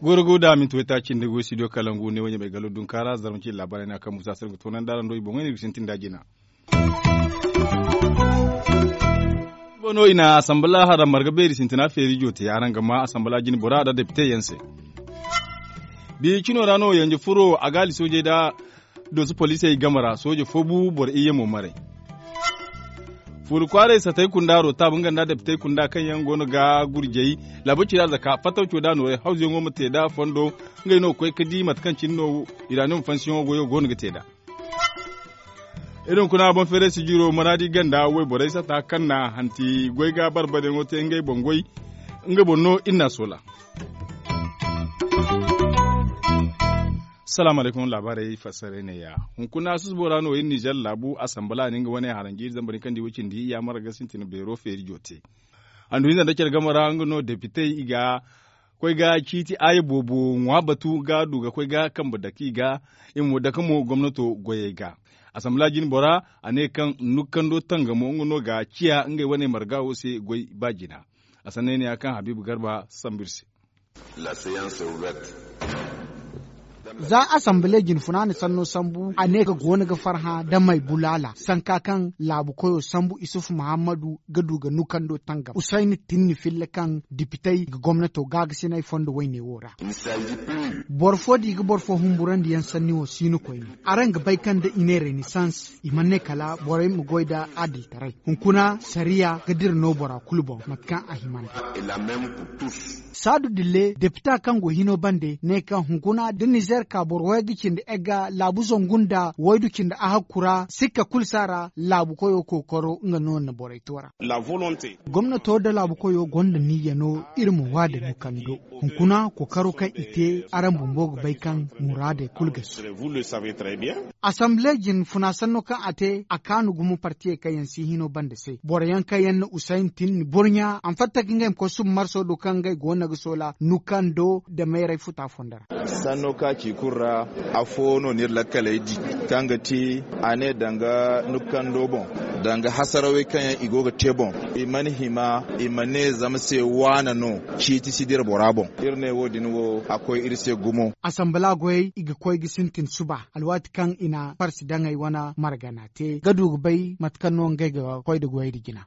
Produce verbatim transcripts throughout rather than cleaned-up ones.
Goro go da minti wayta cindi go studio kalangu ne wanya mai galo dunkara zarma ci labarai na kan musa sarga tonan dara ndo i boŋay ne ga sintin da jina. Bono i na asambala hara marga beeri sintina feeri jote araŋ ga ma asambala jine bora da depite yaŋ se. Bi cino ra no yanje furo a gaali soojey da doosu poliisey game ra sooje fo bu boro iyye mo maray. Fuuri kwaaray satey kunda rotaab nga nda depitey kunda kaŋ yaŋ go no ga gurjey laabu cira zaka fattaw co da nooray hawzuyaŋo ma te da fondo. Ngey no ga koy ga di mate kaŋ cine no iraaniyo ma fansiyaŋo goyo go no ga te nd'a. Iri hunkuna boŋ feeray sijiro maraadi ganda wayborey sata kaŋ na hanti goy ga barbadeyaŋo te ngey boŋ goy. Nga boŋ no iri n'a soola. Salaamu alaykum laabaarey fassaray neeya. Hunkuna susubo ra no iri nizer laabu asambala ne nga wane haranji iri zambar ni kaŋ di way cindi yaamar ga sintin beero feeri joote. Handu hinza nda care game ra nga no depitey i ga koy ga ciiti aaya boobo ŋwa batu ga du ga koy ga kambe dake i ga. I ma dake mo gomnato goyey ga. Asambala jine bora a ne kaŋ nukkando tangamo nga no ga ciya ngey wane marga wo se goy ba jina. A sanney ne ya kaŋ habiibu garba sambu iri se. Za asambale jinfuna na sanno sambu a ne ka go no ga farhã da may bulaala sanka kaŋ laabu koyo sambu isufu muhammadu ga du ga nukando tangam usayni tinni filla kaŋ dipitey ga gomnato gaagasinay fondo wayne wo ra. Boro fo da i ga boro fo humburandi yaŋ sanni wo si no koyne. Araŋ ga bay kaŋ da i ne renisans i mana ne kala borey ma goy nda adiltaray. Hunkuna sariya ga dira no bora kulu boŋ mate kaŋ a hima nd'a. Saadu dille depita kaŋ go hino bande ne kaŋ hunkuna da nizer ka boro way ga cindi egga laabu zangu nda waydu cindi ahakku ra sikka kulu si a ra laabu koyo kookaro nga no na borey to ra. Gomnato nda laabu koyo gonda niyya no iri ma waada nukando hunkuna kookaro kaŋ i te araŋ bumbo ga bay kaŋ muraadey kulu ga si. Asamble jinfuna sanno kaŋ a te a kaanu gumo partiyey kaŋ yaŋ si hino banda se boro yaŋ kaŋ yaŋ na usayn tin ni burɲa a ma fatta ka ngey ma koy suba marso do kaŋ ngey go no ga soola nukando nda mayray futa fondo ra. Sanno kaŋ a ci kulu ra afo no ni iri lakkaley di kaŋ ga ti a ne danga nukando boŋ danga hasarawey kaŋ yaŋ i go ga te boŋ i mana hima i ma ne zama se waana no ciiti si dira bora boŋ. Iri ne wo- din wo a koy iri se gumo. Asambala goyey i ga koy ga sintin suba alwaati kaŋ i na farsi daŋey wane margana te ga du ga bay mate kaŋ no ngey ga koy nda goyey nda jina.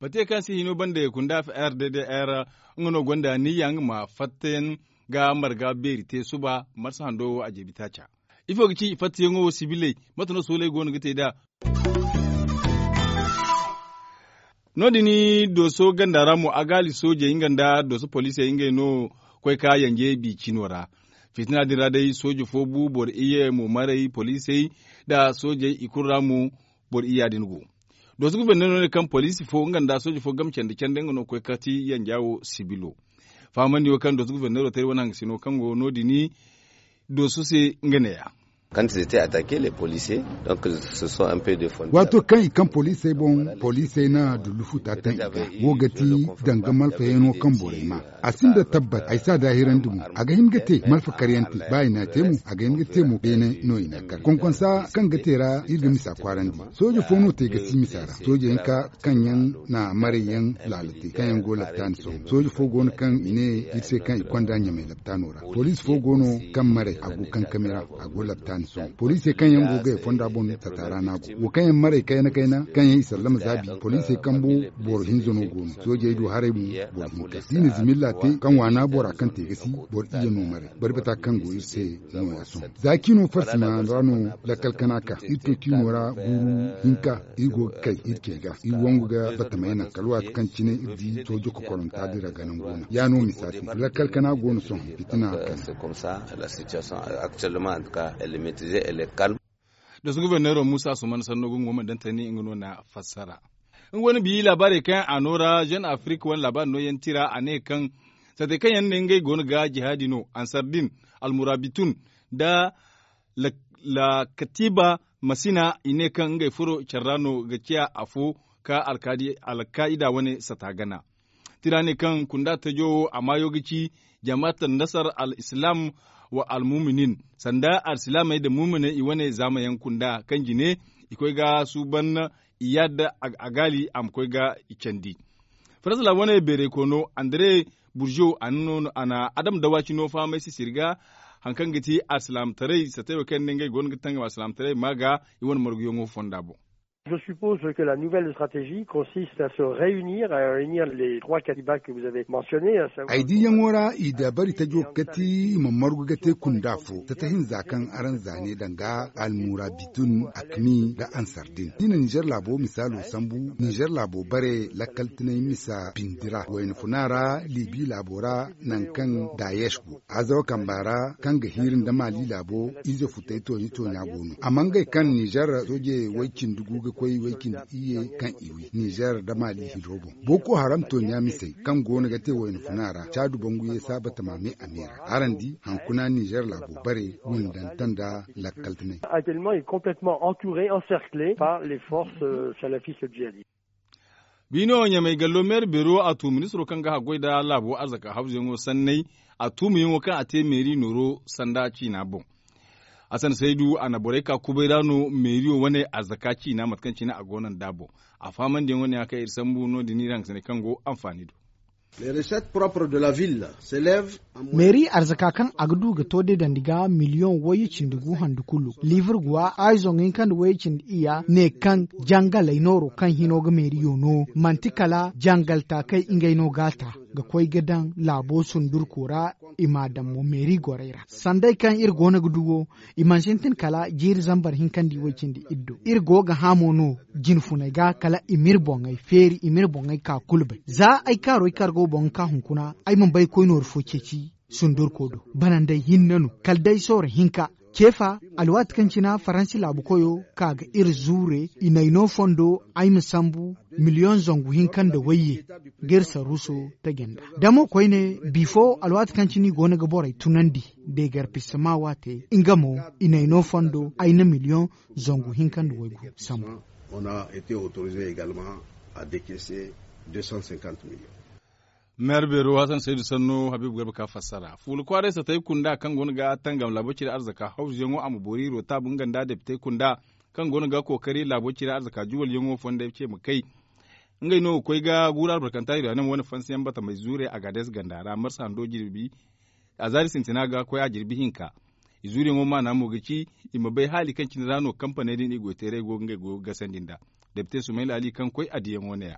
Bate kaŋ se hino banda kunda f r d d r nga no gonda niyya nga ma fattayaŋ ga marga beeri te suba marsa hando wo a jeebi taaca. Ifo ga ci i fattayaŋo wo sibiley mate no sooley go no ga te nd'a? No- din dooso ganda ra mo agaali soojey nga nda dooso poliisey ngey no koy ka yanje bi cino ra. Fitina din ra day sooje fo bu boro iyye mo maray poliisey nda soojey i kulu ra mo boro iyya din go. Dooso goforneero ne kaŋ poliisi fo nga nda sooje fo game candi candi nga no ga koy kati yanja wo sibilo. Fahamandi wo kaŋ dooso goforneero te iri wane hangasino kaŋ go no- din dooso se nga neeya. Waato kaŋ i kaŋ poliisey boŋ poliisey na dullu futa taŋ i ga wo ga ti danga malfayaŋo kaŋ borey ma a sinda tabbat ay si a daahirandi mo a ga hin ga te malfa karyaŋ te ba i n'a te mo a ga hin ga te mo beene no i n'a kar konkonsa kaŋ ga te ra iri ga misa kwaarandi. Sooje fo no te ga si misa ra sooje hinka kaŋ yaŋ na maray yaŋ laala te kaŋ yaŋ go laptaani sohõ sooje fo go no kaŋ i ne iri se kaŋ i konda ɲamay laptaano ra poliisi fo go no kaŋ maray a go kankami ra a go laptaani sohõ poliisey kaŋ yaŋ go ga i fonda boŋ sata ra no a go wo kaŋ yaŋ maray kayna kayna kaŋ yaŋ i sallama zaabi poliisey kambo boro hinza no go no soojey du haray mo boro hinka da i na zimilla te kaŋ waana bora kaŋ te ga si boro iyye no maray barbata kaŋ go iri se nooya sohõ za cino farsima ra no lakkal kana ka iri to cino ra guuru hinka iri go ga kay iri ce ga iri wangu ga batamay naŋ kala waati kaŋ cine iri di soojo kokoranta dira ga nangu no ya no misa se lakkal kana go no sohõ fitina kala. Dooso goforneero muusa asuman sanno ga nga wo mana daŋ tani nga no na fassara. Nga wane bi laabaarey kaŋ a no ra jeune afrique wane laabaari nooyaŋ tira a ne kaŋ sate kaŋ yaŋ ne ngey go no ga jihaadi no ansardin almurabitun nda lakatiba masina i ne kaŋ ngey furo care ra no ga ciya afo ka alkaa'ida wane sata gana. Tira ne kaŋ kunda tajo wo a maayo ga ci jamaat al nasar al islam wa almuminin, sanda alsilaamey nda muuminey i wane zaama yaŋ kunda kaŋ jine i koy ga suuban, i yaada a gaali a ma koy ga i candi. Faransa laabo wane beeray koono, andre burjo a na adama dawaaci no fahamay sisiri ga, hari kaŋ ga ti alsilaamataray satay wo kaŋ yaŋ no ngey go no ga tangam alsilaamataray ma ga i wane marguyaŋo fonda boŋ. Je suppose que la nouvelle stratégie consiste à se réunir à réunir les trois katibas que vous avez mentionné. Ay diiyaŋo ra i dabari tajo ga kati i ma margu ga te kunda fo tata hinza kaŋ araŋ zaane danga almurabitun akmi nda ansardin i na nizer laabo misaalo sambu nizer laabo bare lakkal tinay misa bindi ra wayna funa ra libi laabo ra nangu kaŋ dayesh go azawa kamba ra kaŋ ga hiiri nda mali laabo ize futay toonya toonya go no amma ngey kaŋ nizer sooje way cindi gu ga koy way cindi iyye kaŋ i wi nizer nda mali hiro boŋ boko haram toonya misey kaŋ go no ga te wayna funa ra caadu bangu ye saaba tamaame a me ra araŋ di hankuna nizer laabo bare windanta nda lakkal tinay. Actuellement est complètement entouré, encerclé par les forces salafistes djihadistes. Biino ɲamay gallo meeri beero a tu ministiro kaŋ ga haggoy nda laabo arzaka hawzuyaŋo sanney a tuumayaŋo kaŋ a te meeri nooro sanda ciina boŋ. Hasan saydu a na borey ka kubay ra no meeriyo wane arzaka ciina mate kaŋ cine a go no nd'a boŋ. A fahamandiyaŋo ne ya kaŋ iri sambu no- din iri hangasiney kaŋ go anfaani do. Meeri arzaka kaŋ a ga du ga to deedandi ga miliyoŋ wayye cindi gu handu kulu liibur guwa ay zoŋ hinka nda wayye cindi iyya ne kaŋ jangaley nooro kaŋ hino ga meeriyo no manti kala jangal taakey ngey no g'a ta ga koy ga daŋ laabo sundurko ra i m'a daŋ mo meeri gorey ra sanday kaŋ iri go no ga du wo i mana sintin kala jiiri zambar hinka nda i way cindi iddo iri go ga hã mo no jinfuney ga kala i m'iri boŋey feeri i m'iri boŋey ka kulu bay za ay kaaro ay kargo boŋ ga ka hunkuna ay mana bay koy nooru fo ceeci sundurko do banandey hinne no kala day sooro hinka ceefa alwaati kaŋ cina faransi laabu koyo ka ga iri zuure i n'ay no fondo ay ma sambu miliyoŋ zangu hinka nda wayye ga iri sarruuso taji nd'a da mo koyne bifo alwaati kaŋ cine i go no ga borey tunandi deegar pisama waate nga mo i n'ay no fondo ay na miliyoŋ zangu hinka nda waygu sambu. Meeri beero hasan saydu sanno habiibu garba ka fassara fuula kwaaray satay kunda kaŋ go no ga tangam laabo cire arzaka hawzuyaŋo a ma boori rootaabu nga nda depitey kunda kaŋ go no ga kookari laabo cire arzaka juwalyaŋo fonday ce ma kay. Ngey no ga koy ga guuru albarkanta iri ra ne ma wane fansiyaŋ batamey zuure agaades ganda ra marsa hando jirbi a zaari sintina ga koy a jirbi hinka. I zuuriyaŋo maana mo ga ci i ma bay haali kaŋ cine ra no kampaney din i goy teeray go ga ngey goyo ga gasandi nd'a. Depite sumayla ali kaŋ koy a diyaŋo ne- ya.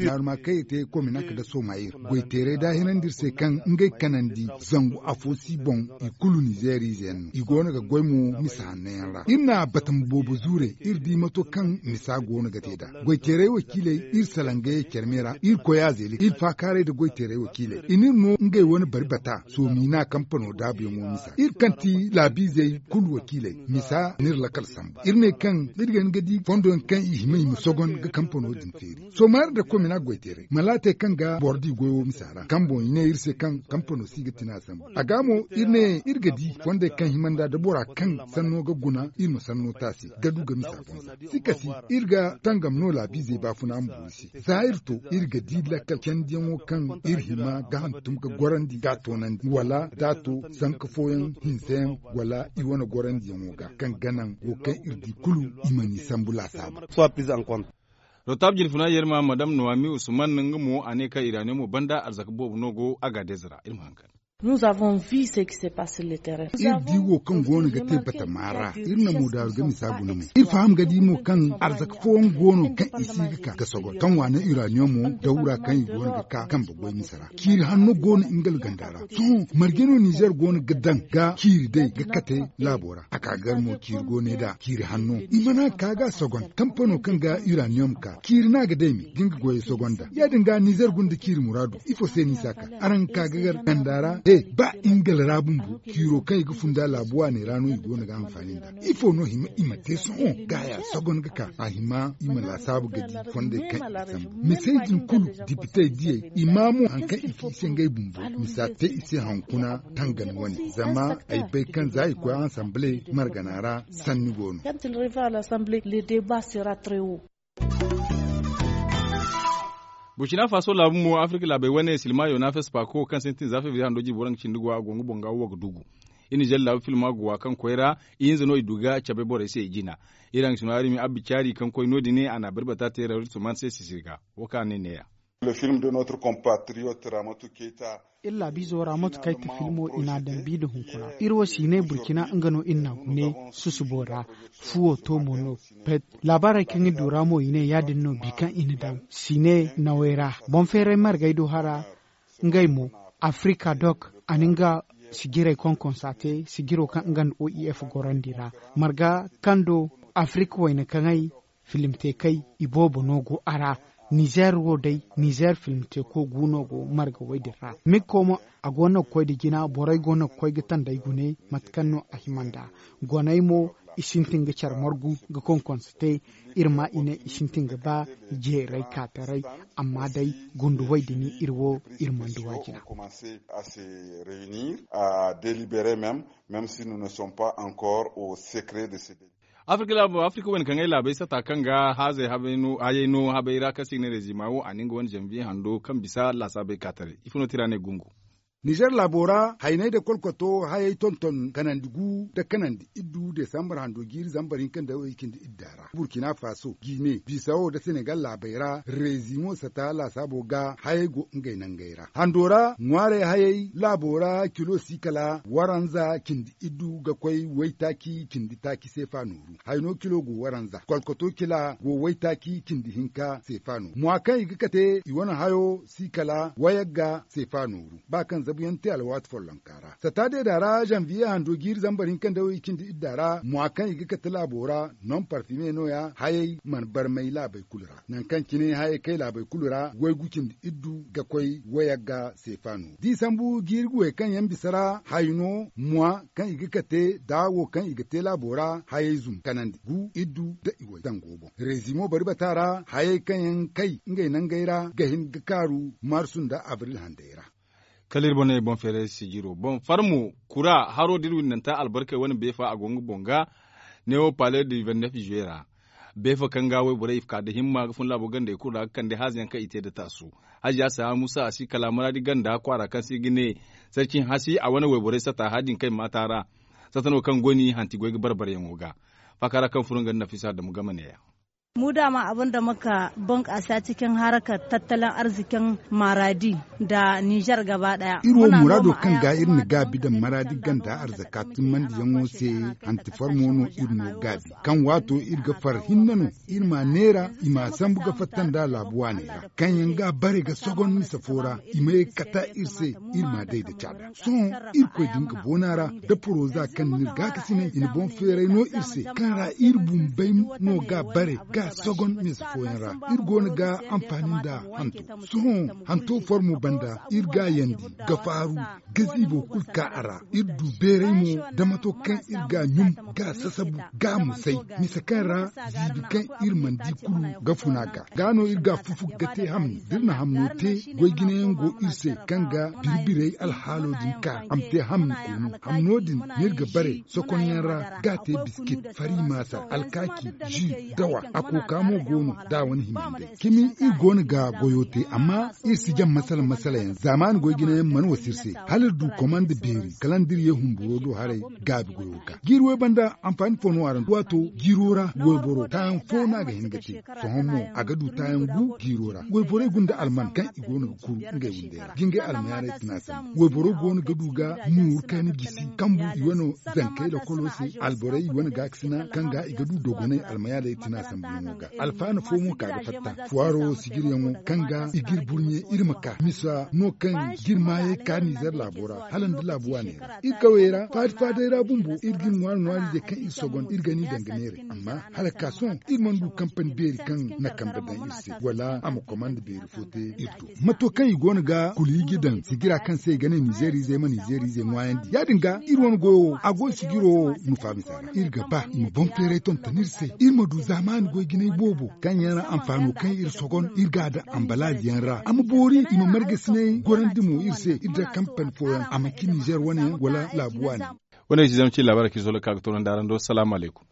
Naaruma kaŋ iri te komina ka ga sooma iri goy teeray da a hinandi iri se kaŋ ngey kanandi zangu afo si boŋ i kulu nizeeriize yaŋ no i go no ga goy mo misa hanno yaŋ ra iri na batama boobo zuure iri di mato kaŋ misa go no ga te nd'a goy teeray wakiiley iri salaŋ ga ye care me ra iri koy a zeeli iri faakaaray nda goy teeray wakiiley i n'iri no ngey wane bari bata soomina kampano daabuyaŋo misa iri kaŋ ti laabiizey kulu wakiiley misa n'iri lakkal sambu iri ne kaŋ iri ga hin ga di fondo yaŋ kaŋ i hima i ma sogon ga kampano din feeri sooma iri nda komina goy teeray malaatey kaŋ ga boro di goyo misa ra kaŋ boŋ i ne iri se kaŋ kampano si ga tina sambu a ga mo iri ne iri ga di fondey kaŋ hima nd'a da bora kaŋ sanno ga guna iri ma sanno taasi ga du ga misa boŋ za si kasi iri ga tangam no laabiizey baafuna ma boori se za iri to iri ga di lakkal candiyaŋo kaŋ iri hima ga hantum ga gorandi ga a toonandi wala da a to zanka fooyaŋ hinza yaŋ wala i wane gorandiyaŋo ga kaŋ ga naŋ wo kaŋ iri di kulu i mana i sambu laasaabu. Rotab jirfuna yerma madam noami usman nga mo a ne kaŋ iraaniyo mo banda arzaka boobo no go a ga deeza ra iri ma haŋ kar. Iri di wo kaŋ go no ga te batama ra iri na mo daaru ga misa guna mo iri faham ga di mo kaŋ arzaka fooyaŋ go no kaŋ i si ga ka ga sogo kaŋ waana iraaniyo mo dawra kaŋ i go no ga ka kambe goy misa ra ciiri hanno go no nga ganda ra sohõ marje no nizer go no ga daŋ ga ciiri day ga kate laabo ra a ka gar mo ciiri go ne da ciiri hanno i mana ka ga sogon kampano kaŋ ga iraniyom ka ciiri no a ga day me ga nga goyey sogon da ya- din ga nizer gunda ciiri muraadu ifo se no i si a ka araŋ ga ka ga gar ganda ra he ba ingila ra bumbo ciiro kaŋ i ga funda laabu waaney ra no i go no ga hanfaani nda ifo no hima i ma te sohõ ga haya sogon ga ka a hima i ma laasaabu ga di fondey kaŋ i ga sambu misey din kulu dipitey diyey i ma mo hari kaŋ i ci i se ngey bumbo misa te i se hankuna tangan wane zama ay bay kaŋ za i koy ansamble margana ra sanni go no. Burkina faso laabu mo afirka laabey wane silma yona fespaako kaŋ sintin za febriye hando jirbi waranka cindi go a go nga boŋ ga wo ga dugu. Iri nizer laabu filma go wa kaŋ koy ra ihinza no i du ga cabe borey se i jina. Iri haŋ sino arimi abbi caari kaŋ koy no- din a na bari bata te ra ritsuman se sisiri ga. Wo kaŋ a ne neeya. Iri laabiizo ra mate kaŋ ay te filmo i n'a daŋ bi nda hunkuna iri wo si ne burkina nga no iri n'a gune susubo ra. Fuwo to mo no. Pet laabaarey kaŋ iri du ra mo i ne ya- din no bi kaŋ i na daŋ si ne nawey ra. Boŋ feeray margay do hara ngey mo. Afrika dok a na nga sijirey konkonsa te sijiro kaŋ nga nda o i f gorandi ra. Marga kaŋ do afrika wayna kaŋay filimtekey iboobo no go a ra. Nizer wo day nizer filimteko gu no go marga way din ra mikko mo. A go no ga koy nda jina borey go no ga koy ga tanday gune mate kaŋ no a hima nd'a. Goney mo i sintin ga care margu ga konkonsa te. Iri ma i ne i sintin ga ba jeeray kaataray. Amma day gundu way din iri wo iri mana duw'a jina. Afirka wayna kaŋ ay laabey sata kaŋ ga haazey hayey no habey ra kaŋ se i ga ne rezima wo a na nga wane zanbiye hando kaŋ bisa laasaabey ka taray ifo no tira ne gungu. Nizer laabo ra hayney nda kolkoto hayey tonton kanandi gu nda kanandi iddu desambar hando jiiri zambar hinka nda way cindi idda ra burkina faso gine bisawo nda senegal laabey ra rezimo sata laasaabo ga hayey go ngey nangey ra hando ra ŋwaarey hayey laabo ra kilo si kala waranza cindi iddu ga koy waytaaci cindi taaci seefa nooru. Hayno kilo go waranza kolkoto kila go waytaaci cindi hinka seefa nooru mwa kaŋ i ga kate i wane hayo si kala wayagga seefa nooru ba kaŋ zabuyaŋ te alwaati follonka ra sata deeda ra zanviye hando jiiri zambar hinka nda way cindi idda ra mwa kaŋ i ga kate laabo ra non parfime no- ya hayey mana barmay laabey kulu ra. Nangu kaŋ cine hayey kay laabey kulu ra waygu cindi iddu ga koy wayagga seefa nooru da i sambu jiiri guwey kaŋ yaŋ bisa ra hayno mwa kaŋ i ga kate da wo kaŋ i ga te laabo ra hayey zumbu kanandi gu iddu nda iway zango boŋ rezimo bari bata ra hayey kaŋ yaŋ kay ngey nangey ra ga hin ga kaaru marsu nda abril handey ra. Kala iri boŋ no ay boŋ feeray sijiro boŋ farmo kura haro da iri windanta albarkey wane beefa a go nga boŋ ga newo pale du vennef juwe ra. Beefo kaŋ ga wayborey i ga ka nda himma ga fun laabo gandey kulu ra ga kande haaza yaŋ kaŋ i te nda taasu. Haziya saha musa a si kala maraadi ganda kwaara kaŋ se i ga ne sarci hasi a wane wayborey sata haya din kaŋ i maata ra. Sata no kaŋ goy no i hanti goy ga bare bareyaŋo ga faaka ra kaŋ furo nga nda nafisa adamu game neeya. Mu daama abin da muka bunkaasa cikin harkar tattalin arzikin maradi da nizer gaba daya. Iri wo muraado kaŋ ga iri na gaabi daŋ maraadi ganda arzaka timmandiyaŋo se hanti farmo no iri no gaabi kaŋ waato iri ga far hinne no iri ma neera i ma sambu ga fatta nda laabu waaney ra kaŋ yaŋ ga bare ga sogon mise fo ra i ma ye ga kata iri se iri ma day nda caada sohõ irkoy din ga boona ra da poroza kaŋ n'iri gaakasinay i na boŋ feeray no iri se kaŋ ra iri bumbey no ga bare ga sogon mise fooyaŋ ra iri go no ga anfaani nda hanto sohõ hanto formo banda iri ga yandi ga faaru ga ziibo kulu ka a ra iri du beeray mo da mato kaŋ iri ga ɲum ga sasabu ga musay mise kaŋ ra ziibi kaŋ iri mana di kulu ga funa ga ga no iri ga fufu ga te hamni da iri na hamno te goy jinayaŋ go iri se kaŋ ga biri-birey alhaalo din ka a ma te hamni koonu hamno din no iri ga bare sokonyaŋ ra ga te biskit fari maasa alkaaki ji dawa a kooka mo go no da a wane hima hinday cimi iri go no ga goyo te amma iri si jaŋ masala masala yaŋ zaamaani goy jinayaŋ mana wasa iri se hala iri du komanda beeri kala nda iri ye humburo do haray gaabi goyo ga jiiri way banda anfaani fo no a ra waato jiiro ra wayboro taayaŋ fo no a ga hin ga te sohõ mo a ga du taayaŋ gu jiiro ra wayborey gunda alman kaŋ i go no ga kuru ngey windey ra jingay almayaarey tana sambu wayboro go no ga du ga nuuru kayna jisi kambu i wane zankey lokolo se alborey i wane gaakasina kaŋ ga i ga du dogonay almayaarey tana sambuyaŋo ga alfaana fo mo ka ga fatta fuwaaro sijiryaŋo kaŋ ga i ga iri burɲe iri ma ka misa no kaŋ ga iri maayey ka nizer laabo ra hala nda laabu waaney ra iri kawey ra faadi-faadey ra bumbo iri ga iri ŋwaari-ŋwaari ize kaŋ iri sogon iri ga ni daŋ ga neeray amma hala ka sohõ iri mana du kampani beeri kaŋ na kambe daŋ iri se wala a ma komanda beeri fo te iri do mato kaŋ i go no ga kulu iji daŋ sijira kaŋ se i ga ne nizer ize ma nizer ize ŋwaayandi ya- din ga iri wane goyo wo a go sijiro wo nufa misa ra iri ga ba i ma boŋ feeray tonton iri se iri ma du zaamaani goy jinay boobo kaŋ yaŋ ra anfaano kaŋ iri sogon iri ga a daŋ anbalaaz yaŋ ra a ma boori i ma margasinay gorandi mo iri se iri da kampani fooyaŋ a ma ci nizer wane yaŋ wala laabu waani. Wane ga ci zama ci laabaara kaŋ iri sohõ ga ka ga toonandi araŋ do salaamu alaykum.